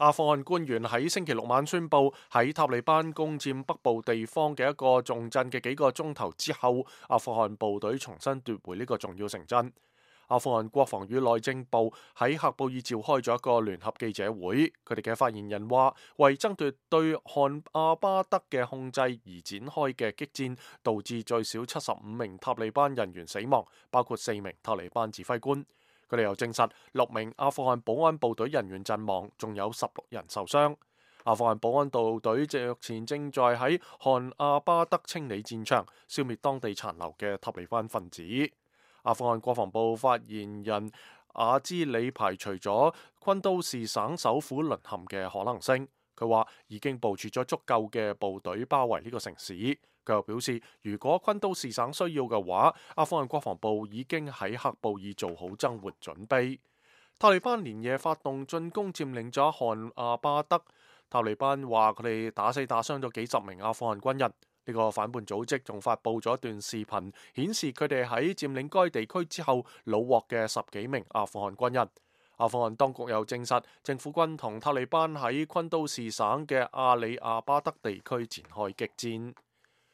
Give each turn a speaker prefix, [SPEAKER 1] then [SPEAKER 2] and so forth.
[SPEAKER 1] 阿富汗官員喺星期六晚宣布，喺塔利班攻佔北部地方嘅一個重鎮嘅幾個鐘頭之後，阿富汗部隊重新奪回呢個重要城鎮。阿富汗國防與內政部喺喀布爾召開咗一個聯合記者會，佢哋嘅發言人話，為爭奪對汗阿巴德嘅控制而展開嘅激戰，導致最少75名塔利班人員死亡，包括4名塔利班指揮官。佢哋又證實6名阿富汗保安部隊人員陣亡，仲有16人受傷。阿富汗保安部隊目前正在喺汗阿巴德清理戰場，消滅當地殘留嘅塔利班分子。阿富汗國防部發言人阿茲里排除咗昆都士省首府淪陷嘅可能性，佢話已經部署咗足夠嘅部隊包圍呢個城市。佢又表示，如果昆都士省需要嘅話，阿富汗國防部已經喺喀布爾做好增援準備。塔利班連夜發動進攻，佔領咗汗阿巴德。塔利班話佢哋打死打傷咗幾十名阿富汗軍人。呢個反叛組織仲發布咗一段視頻，顯示佢哋喺佔領該地區之後虜獲嘅10幾名阿富汗軍人。阿富汗當局又證實，政府軍同塔利班喺昆都士省嘅阿里亞巴德地區展開激戰。